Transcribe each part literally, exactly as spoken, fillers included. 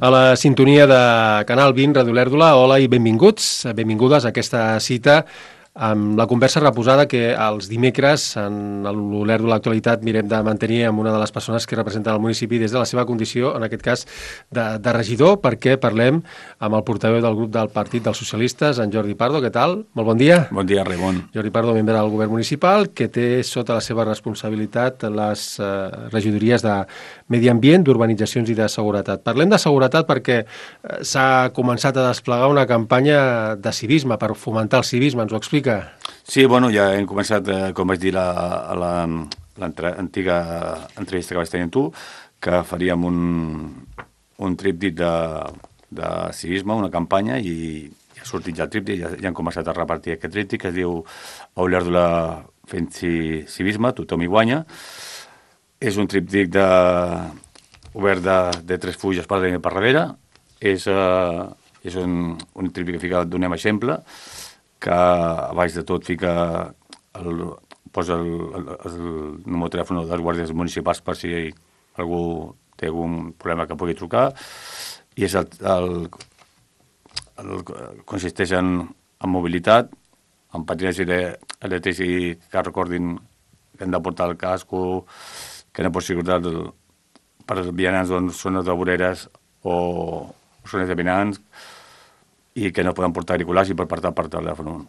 A la sintonia de Canal vint, Ràdio Olèrdola, hola i benvinguts, benvingudes a aquesta cita amb la conversa reposada que els dimecres en l'Olèrdola Actualitat mirem de mantenir amb una de les persones que representen el municipi des de la seva condició, en aquest cas de, de regidor, perquè parlem amb el portaveu del grup del Partit dels Socialistes, en Jordi Pardo. Què tal? Molt bon dia. Bon dia, Raimon. Jordi Pardo, membre del govern municipal, que té sota la seva responsabilitat les eh, regidories de Medi Ambient, d'Urbanitzacions i de Seguretat. Parlem de seguretat perquè eh, s'ha començat a desplegar una campanya de civisme, per fomentar el civisme. Ens ho explica? Sí, bueno, ja hem començat, eh, com vaig dir la, a l'antiga entrevista que vaig tenir amb tu, que faríem un, un tríptic de, de civisme, una campanya, i ja ha sortit ja el tríptic, ja, ja han començat a repartir aquest tríptic, que es diu Olèrdola fent civisme, tothom hi guanya. És un tríptic de, obert de, de tres fulles per darrere i per darrere. És, eh, és un, un tríptic que fica, donem exemple, que a baix de tot fica el, posa el, el, el número de telèfon dels guàrdies municipals per si algú té algun problema que pugui trucar, i és el, el, el, consisteix en, en mobilitat, en patinatge elèctrics i que recordin que han de portar el casco, que no pot ser per vianants on zones de voreres o zones de vianants, i que no poden portar auriculars i per portar per telèfon.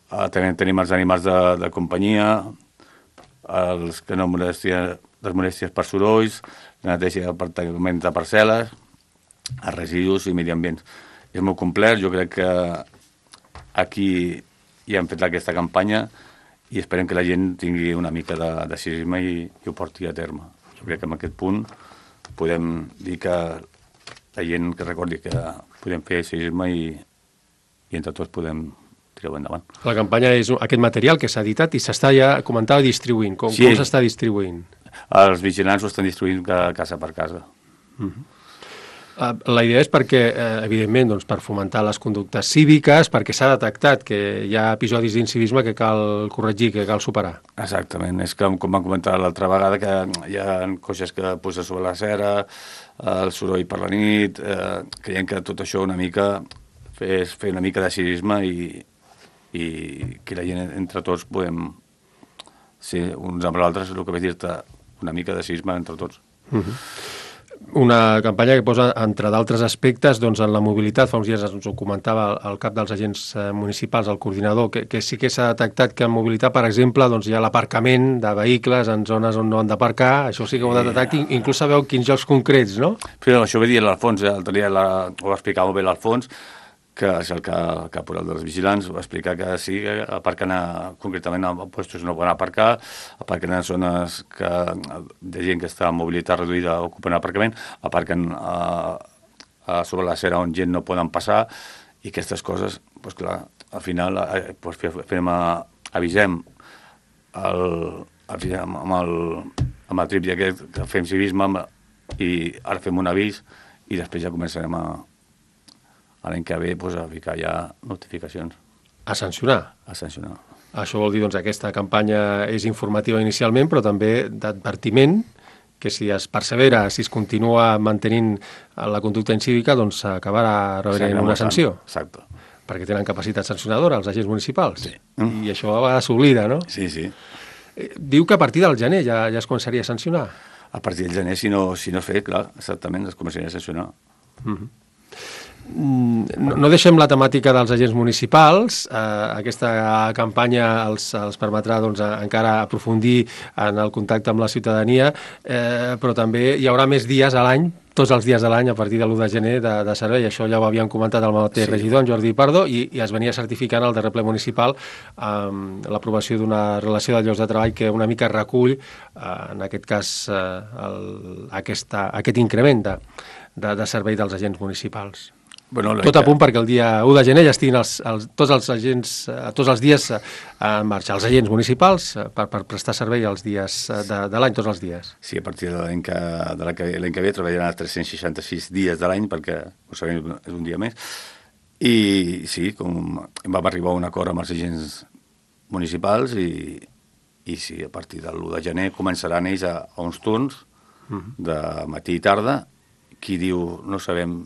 Uh, també tenim els animals de, de companyia, els que no molestien, les molèsties per sorolls, la neteja d'apartaments de parcel·les, els residus i medi ambients. És molt complet, jo crec que aquí ja hem fet aquesta campanya i esperem que la gent tingui una mica de, de civisme i, i ho porti a terme. Jo crec que en aquest punt podem dir que la gent que recordi que podem fer civisme i, i entre tots podem tirar-ho endavant. La campanya és aquest material que s'ha editat i s'està ja, comentava, distribuint. Com, sí. com s'està distribuint? Els vigilants ho estan distribuint casa per casa. Uh-huh. Uh, la idea és perquè, eh, evidentment, doncs, per fomentar les conductes cíviques, perquè s'ha detectat que hi ha episodis d'incivisme que cal corregir, que cal superar. Exactament. És com, com vam comentar l'altra vegada, que hi ha coses que posen sobre la cera, el soroll per la nit, eh, creiem que tot això una mica és fer una mica de civisme i, i que la gent entre tots podem ser uns amb els altres, el que vaig dir-te, una mica de civisme entre tots. Uh-huh. Una campanya que posa, entre d'altres aspectes, doncs, en la mobilitat. Fa uns dies ens ho comentava el cap dels agents municipals, el coordinador, que, que sí que s'ha detectat que en mobilitat, per exemple, doncs, hi ha l'aparcament de vehicles en zones on no han d'aparcar. Això sí que ho ha detectat, inclús sabeu quins llocs concrets, no? Però això ho va dir l'Alfons, eh? la, ho va explicar molt bé l'Alfons, que és el que, que el dels vigilants va explicar que sí, que aparquen a, concretament a puestos no poden aparcar, aparquen a zones que, de gent que està en mobilitat reduïda ocupen aparcament, aparquen a, a sobre la cera on gent no poden passar, i aquestes coses, doncs clar, al final eh, doncs fem, avisem el, avisem amb el, amb el trip d'aquest, que fem civisme i ara fem un avís i després ja començarem a l'any que ve pues, a ficar ja notificacions. A sancionar? A sancionar. Això vol dir, doncs, aquesta campanya és informativa inicialment, però també d'advertiment, que si es persevera, si es continua mantenint la conducta incívica, doncs s'acabarà rebent una sanció. Exacte. Perquè tenen capacitat sancionadora els agents municipals. Sí. I això a vegades s'oblida, no? Sí, sí. Diu que a partir del gener ja, ja es començaria a sancionar. A partir del gener, si no, si no fer, clar, exactament, es començaria a sancionar. Uh-huh. No, no deixem la temàtica dels agents municipals. Eh, aquesta campanya els, els permetrà doncs, encara aprofundir en el contacte amb la ciutadania, eh, però també hi haurà més dies a l'any, tots els dies de l'any, a partir de l'u de gener, de, de servei. Això ja ho havíem comentat el mateix sí. regidor, en Jordi Pardo, i, i es venia certificant el darrer ple municipal amb eh, l'aprovació d'una relació de llocs de treball que una mica recull, eh, en aquest cas, eh, el, aquesta, aquest increment de, de, de servei dels agents municipals. Bueno, tot a punt perquè el dia u de gener ja estiguin els, els, tots els agents, eh, tots els dies eh, en marxa, els agents municipals eh, per, per prestar servei els dies eh, de, de l'any, tots els dies. Sí, a partir de l'any que, de l'any que, l'any que ve treballaran tres-cents seixanta-sis dies de l'any, perquè ho sabem, és un dia més. I sí, com vam arribar a un acord amb els agents municipals i, i sí, a partir de l'u de gener començaran ells a, a uns turns de matí i tarda, qui diu no sabem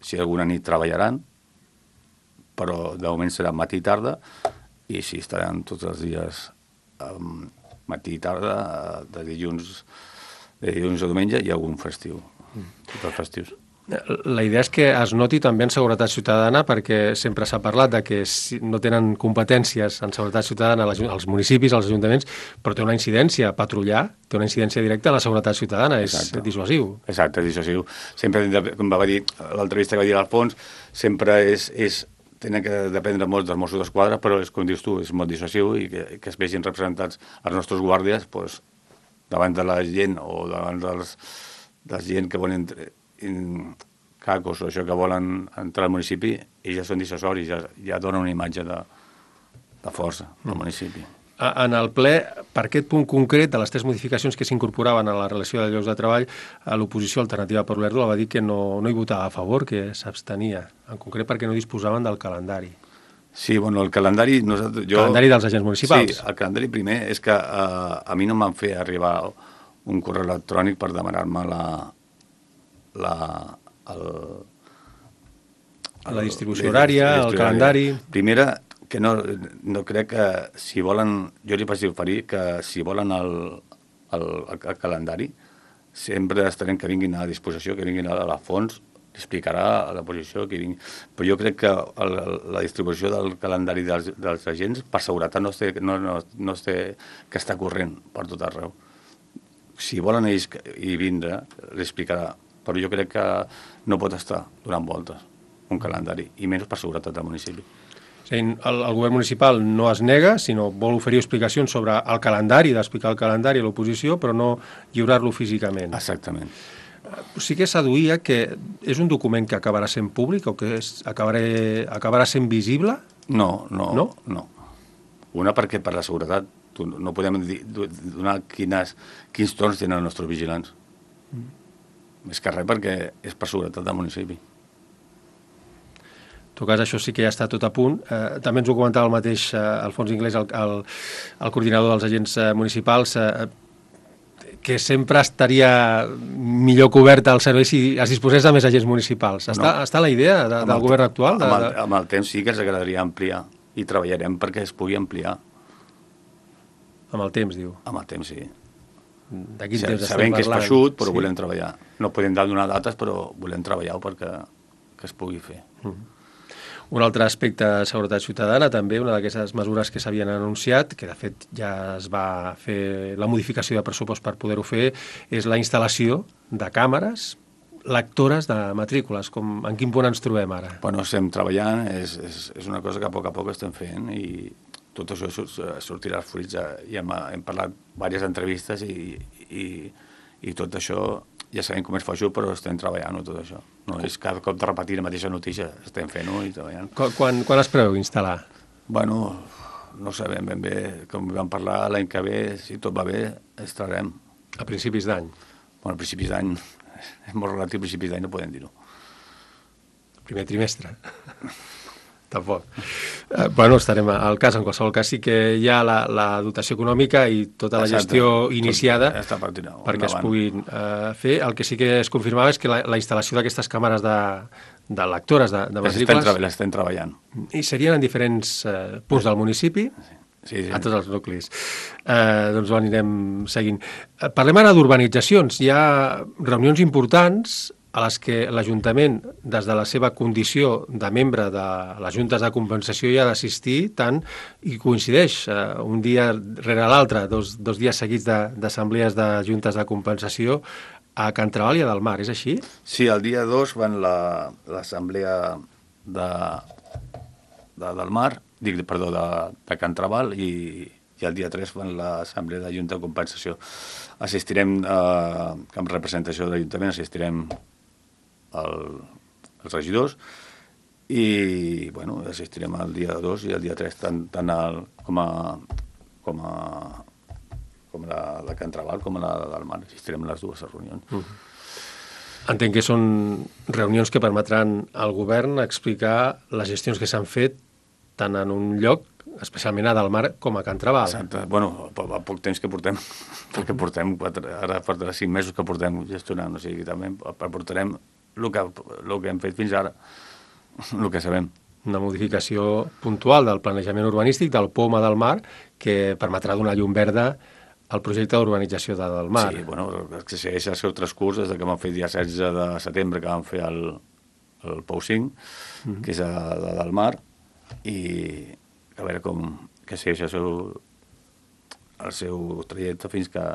si alguna nit treballaran, però de moment serà matí i tarda, i si estaran tots els dies um, matí i tarda, de dilluns, de dilluns a diumenge, i algun festiu, mm. tots els festius. La idea és que es noti també en seguretat ciutadana, perquè sempre s'ha parlat de que no tenen competències en seguretat ciutadana als municipis, als ajuntaments, però té una incidència, patrullar, té una incidència directa en la seguretat ciutadana, és Exacte. dissuasiu. Exacte, és dissuasiu. Sempre, com va dir l'entrevista que va dir l'Alfons, sempre és, és tenen que dependre molt dels Mossos d'Esquadra, però és com dius tu, és molt dissuasiu, i que, que es vegin representats els nostres guàrdies pues, davant de la gent o davant dels, dels gent que volen in, cacos o això que volen entrar al municipi, i ja són dissuasoris, ja, ja donen una imatge de, de força al mm. municipi. En el ple, per aquest punt concret de les tres modificacions que s'incorporaven a la relació de llocs de treball, l'oposició alternativa per Olèrdola va dir que no, no hi votava a favor, que s'abstenia, en concret perquè no disposaven del calendari. Sí, bueno, el calendari... Nosaltres, jo... El calendari dels agents municipals. Sí, el calendari primer és que uh, a mi no em van fer arribar un correu electrònic per demanar-me la... la el, el, la distribució horària, el calendari... Primera, que no, no crec que si volen... Jo li vaig oferir que si volen el, el, el calendari, sempre estarem que vinguin a disposició, que vinguin a la fons, explicarà la posició que vingui. Però jo crec que el, la distribució del calendari dels, dels agents, per seguretat, no es té, no, no, no es té que està corrent per tot arreu. Si volen ells hi vindre, l'explicarà. Però jo crec que no pot estar donant voltes un calendari, i menys per seguretat del municipi. Sí, el, el govern municipal no es nega, sinó vol oferir explicacions sobre el calendari, d'explicar el calendari a l'oposició, però no lliurar-lo físicament. Exactament. Sí que s'aduïa que és un document que acabarà sent públic o que és, acabaré, acabarà sent visible? No, no, no, no. Una perquè per la seguretat no podem dir, donar quines, quins torns tenen els nostres vigilants. Mm. Més que res perquè és per seguretat del municipi. En tot cas, això sí que ja està tot a punt. Eh, també ens ho comentava el mateix eh, Alfons Inglés, el, el, el coordinador dels agents eh, municipals, eh, que sempre estaria millor cobert el servei si es disposés de més agents municipals. Està, no. està la idea de, del govern actual? De, amb, el, amb el temps sí que ens agradaria ampliar, i treballarem perquè es pugui ampliar. Amb el temps, diu? Amb el temps, sí. De quin sí, temps sabem que és feixut, però sí. volem treballar. No podem donar dates, però volem treballar perquè que es pugui fer. Mm. Un altre aspecte de seguretat ciutadana, també una d'aquestes mesures que s'havien anunciat, que de fet ja es va fer la modificació de pressupost per poder-ho fer, és la instal·lació de càmeres lectores de matrícules. Com, en quin punt ens trobem ara? Bueno, estem treballant, és, és, és una cosa que a poc a poc estem fent, i tot això sortirà als fruits. Ja hem, hem parlat diverses entrevistes i, i, i tot això ja sabem com és feixut, però estem treballant-ho tot això. No és cada cop de repetir la mateixa notícia, estem fent-ho i treballant. Quan, quan es preveu instal·lar? Bueno, no sabem ben bé, com vam parlar l'any que ve, si tot va bé, estarem. A principis d'any? Bueno, a principis d'any, és molt relatiu, a principis d'any no podem dir-ho. Primer trimestre? Tampoc. Eh, bueno, estarem al cas. En qualsevol cas sí que hi ha la, la dotació econòmica i tota la Exacte. gestió iniciada ja partint, perquè es puguin eh, fer. El que sí que es confirmava és que la, la instal·lació d'aquestes càmeres de, de lectores de, de matrícules... Les estem treballant. I serien en diferents eh, punts del municipi, sí. Sí, sí. A tots els nuclis. Eh, doncs ho anirem seguint. Eh, parlem ara d'urbanitzacions. Hi ha reunions importants a les que l'Ajuntament, des de la seva condició de membre de les juntes de compensació, hi ha d'assistir tant, i coincideix eh, un dia rere l'altre, dos, dos dies seguits d'assemblees de, de juntes de compensació a Can Trabal i a Del Mar, és així? Sí, el dia dos van l'assemblea de, de Del Mar, dic, perdó, de, de Can Trabal, i, i el dia tres van l'assemblea de Junta de Compensació. Assistirem, eh, amb representació de l'Ajuntament, assistirem El, els regidors, i bueno, assistirem el dia dos i el dia tres tant, tant el, com a com a com la de Can Trabal com a la del Mar. Assistirem a les dues reunions. Uh-huh. Entenc que són reunions que permetran al govern explicar les gestions que s'han fet tant en un lloc, especialment a Del Mar, com a Can Trabal. Exacte. Bueno, a poc temps que portem, perquè portem quatre, ara fa cinc mesos que portem gestionant, o sigui, també portarem el que, el que hem fet fins ara, el que sabem. Una modificació puntual del planejament urbanístic del Poma del Mar que permetrà donar llum verda al projecte d'urbanització de del Mar. Sí, bueno, que segueix el seu transcurs des que vam fer el dia setze de setembre, que vam fer el, el Pou cinc, mm-hmm. que és a, a del Mar, i a veure com que segueix el seu, el seu trajecte fins que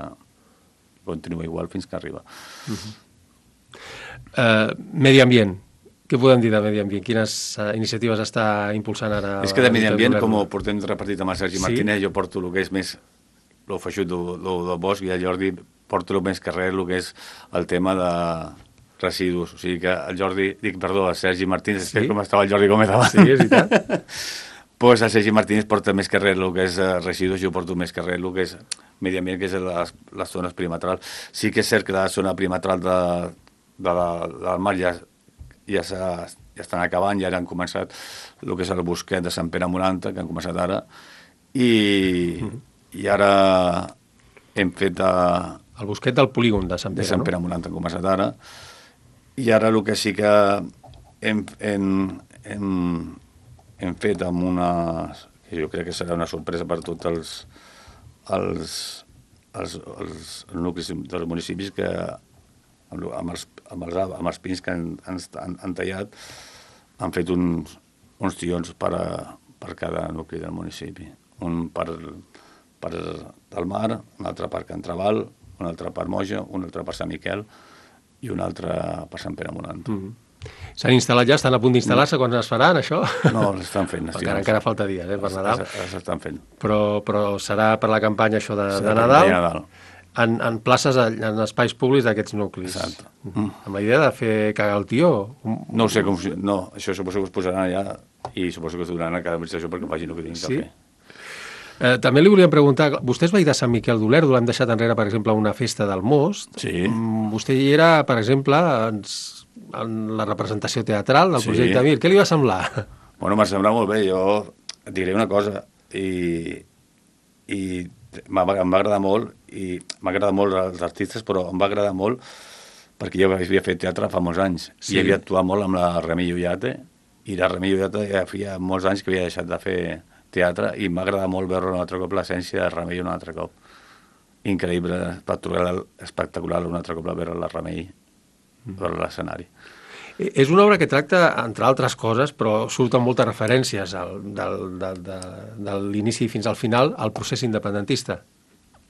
continua igual fins que arriba. Mm-hmm. Uh, medi ambient. Què podem dir de medi ambient? Quines uh, iniciatives està impulsant ara? És que de medi ambient, com ho portem repartit amb el Sergi sí? Martínez, jo porto el que és més el feixut del, del bosc, i el Jordi porta el més carrer, el que és el tema de residus. O sigui que el Jordi, dic, perdó, el Sergi Martínez, sí? Com estava el Jordi Gómez abans. Sí, és veritat. Pues el Sergi Martínez porta més carrer el que és residus, jo porto més carrer el que és medi ambient, que és les, les zones perimetrals. Sí que és cert que la zona perimetral de, de la, del mar ja, ja, ja estan acabant, ja han començat el que és el bosquet de Sant Pere Moranta, que han començat ara, i, mm. i ara hem fet... A, el bosquet del polígon de Sant Pere, de Sant Pere no? Moranta han començat ara, i ara el que sí que hem, hem, hem, hem fet amb una... que jo crec que serà una sorpresa per tots els, els, els, els nuclis dels municipis, que amb, amb, els, amb, els, amb els pins que han, han, han tallat han fet uns, uns tions per, a, per cada nucli del municipi. Un per, per del Mar, un altre per Can Trabal, un altre per Moja, un altre per Sant Miquel i un altre per Sant Pere Moranta. Mm-hmm. S'han instal·lat ja? Estan a punt d'instal·lar-se? Quan es faran, això? No, l'estan fent. Encara, encara falta dies, eh, per Nadal. S'estan fent. Però, però serà per la campanya això de, de Nadal, de Nadal. En, en places, en espais públics d'aquests nuclis. Exacte. Mm. Amb la idea de fer cagar el tió? No ho sé com... No, això suposo que es posaran allà i suposo que es donaran a cada administració perquè facin el que tinguin sí? que fer. Eh, també li volíem preguntar, vostè és veí de Sant Miquel d'Olèrdola, l'hem deixat enrere, per exemple, una festa del Most. Sí. Mm, vostè hi era, per exemple, en, en la representació teatral del sí. projecte Mir. Què li va semblar? Bueno, m'ha semblat molt bé. Jo et diré una cosa, i, i em va agradar molt, i m'ha agradat molt els artistes, però em va agradar molt perquè jo havia fet teatre fa molts anys, sí. i havia actuat molt amb la Remei Ullate, i la Remei Ullate ja feia molts anys que havia deixat de fer teatre, i m'ha agradat molt veure un altre cop l'essència de Remei un altre cop. Increïble, espectacular, espectacular un altre cop veure la Remei mm. per l'escenari. És una obra que tracta, entre altres coses, però surten moltes referències al, del, del, de, de l'inici fins al final al procés independentista.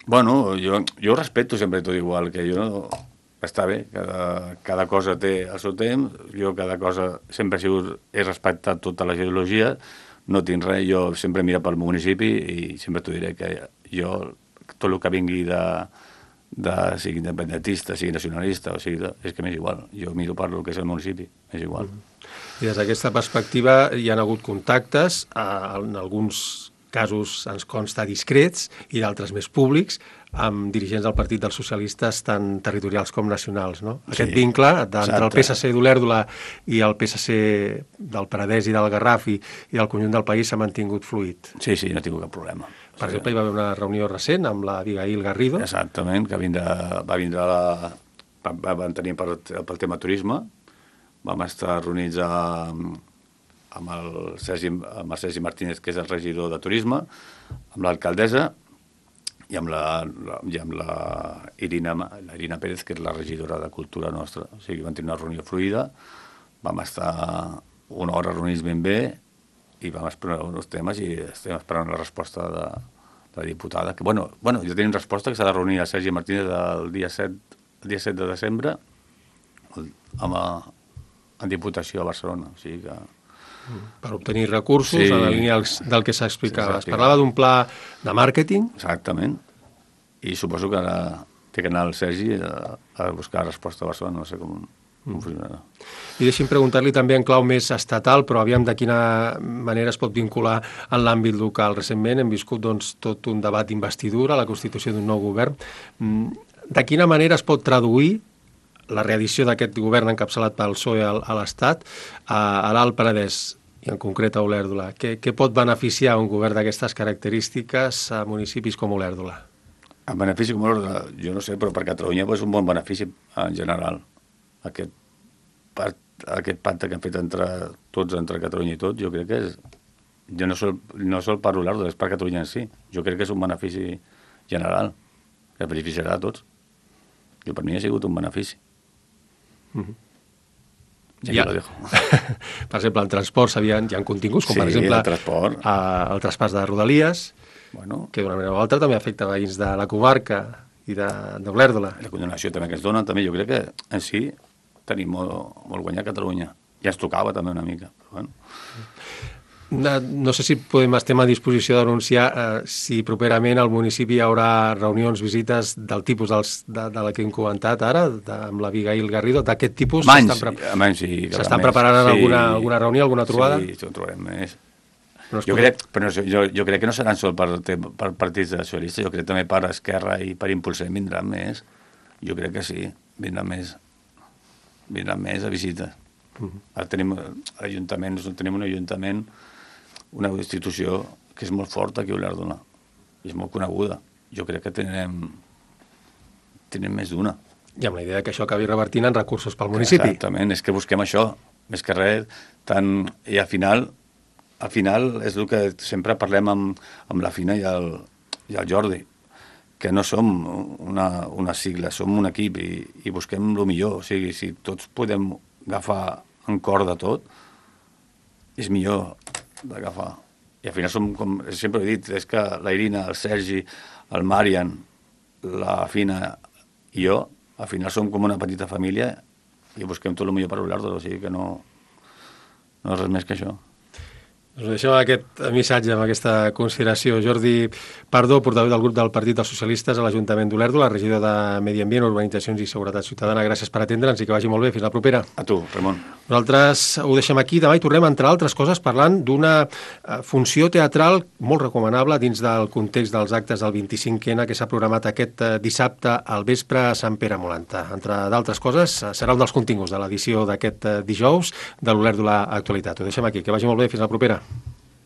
Bueno, jo, jo respeto sempre tot igual, que jo no... Està bé, cada, cada cosa té el seu temps, jo cada cosa sempre he, sigut, he respectat tota la ideologia, no tinc res, jo sempre miro pel municipi i sempre t'ho diré que jo, tot el que vingui de, de sigui independentista, sigui nacionalista, o sigui, és que m'és igual. Jo miro per el que és el municipi, és igual. I des d'aquesta perspectiva hi ha hagut contactes, en alguns casos ens consta discrets i d'altres més públics, amb dirigents del Partit dels Socialistes tant territorials com nacionals, no? Aquest sí, vincle entre el P S C d'Olèrdola i el P S C del Penedès i del Garraf i, i del conjunt del país s'ha mantingut fluid. Sí, sí, no he tingut cap problema. Per sí, exemple, hi va haver una reunió recent amb la Abigail Garrido. Exactament, que vindrà, va vindre la... Vam tenir pel, pel tema turisme, vam estar reunits amb, amb, el Sergi, amb el Sergi Martínez, que és el regidor de turisme, amb l'alcaldessa, i amb la, i amb la Irina, la Irina Pérez, que és la regidora de cultura nostra. O sigui, vam tenir una reunió fluida, vam estar una hora reunits ben bé i vam explorar uns temes i estem esperant la resposta de, de la diputada. Que, bueno, bueno, ja tenim resposta que s'ha de reunir el Sergi Martínez el dia set, el dia set de desembre amb a, en Diputació a Barcelona. O sigui que... Per obtenir recursos sí, en la línia del que s'explicava. Es parlava d'un pla de màrqueting. Exactament. I suposo que ara té que anar el Sergi a, a buscar resposta a Barcelona, no sé com, com mm. funcionarà. I deixi'm preguntar-li també en clau més estatal, però aviam de quina manera es pot vincular en l'àmbit local. Recentment hem viscut doncs, tot un debat d'investidura, la constitució d'un nou govern. De quina manera es pot traduir la reedició d'aquest govern encapçalat pel P S O E a l'Estat a, a l'Alt Penedès i en concret a Olèrdola? Què, què pot beneficiar un govern d'aquestes característiques a municipis com Olèrdola? En benefici com Olèrdola, jo no sé, però per Catalunya és un bon benefici en general. Aquest, part, aquest pacte que han fet entre tots, entre Catalunya i tot, jo crec que és... Jo no sol, no sol per l'Olèrdola, és per Catalunya en si. Jo crec que és un benefici general, que beneficiarà a tots. Jo, per mi ha sigut un benefici. Mm-hmm. I ja lo dejo. Per exemple, en transport hi ha, hi ha continguts, com sí, per exemple el transport. A, el traspàs de Rodalies, bueno, que d'una manera o altra també afecta veïns de la comarca i d'Olèrdola. La condonació també que es dona, també jo crec que en si tenim molt, molt guanyat a Catalunya. Ja ens tocava també una mica, però bueno. No, no sé si podem estem a disposició d'anunciar eh, si properament al municipi hi haurà reunions, visites del tipus dels, de, de la que hem comentat ara, de, amb la Abigail Garrido, d'aquest tipus. S'estan pre sí, sí, preparant sí, alguna, alguna reunió, alguna trobada? Sí, ho trobarem més. No jo, crec, però no, jo, jo crec que no seran sol per, per partits de socialistes, jo crec també per Esquerra i per Impulsem vindran més. Jo crec que sí, vindran més, vindran més a visites. Uh-huh. Ara tenim ajuntaments, tenim un ajuntament, una institució que és molt forta aquí a Olèrdola i és molt coneguda. Jo crec que tindrem, tindrem més d'una. I amb la idea que això acabi revertint en recursos pel municipi. Exactament, és que busquem això, més que res, tant, i al final, al final és el que sempre parlem amb, amb la Fina i el, i el Jordi, que no som una, una sigla, som un equip i, i busquem el millor. O sigui, si tots podem agafar en cor de tot, és millor d'agafar. I al final som, com sempre he dit, és que la Irina, el Sergi, el Marian, la Fina i jo, al final som com una petita família i busquem tot el millor per Olèrdola, o sigui que no, no és res més que això. Us deixem aquest missatge amb aquesta consideració. Jordi Pardo, portaveu del grup del Partit dels Socialistes a l'Ajuntament d'Olèrdola, regidor de Medi Ambient, Urbanitzacions i Seguretat Ciutadana. Gràcies per atendre'ns i que vagi molt bé. Fins la propera. A tu, Ramon. Nosaltres ho deixem aquí. Demà hi tornem, entre altres coses, parlant d'una funció teatral molt recomanable dins del context dels actes del vint-i-cinc ena que s'ha programat aquest dissabte al vespre a Sant Pere Molanta. Entre d'altres coses, serà un dels continguts de l'edició d'aquest dijous de l'Olèrdola Actualitat. Ho deixem aquí. Que vagi molt bé. Fins la propera.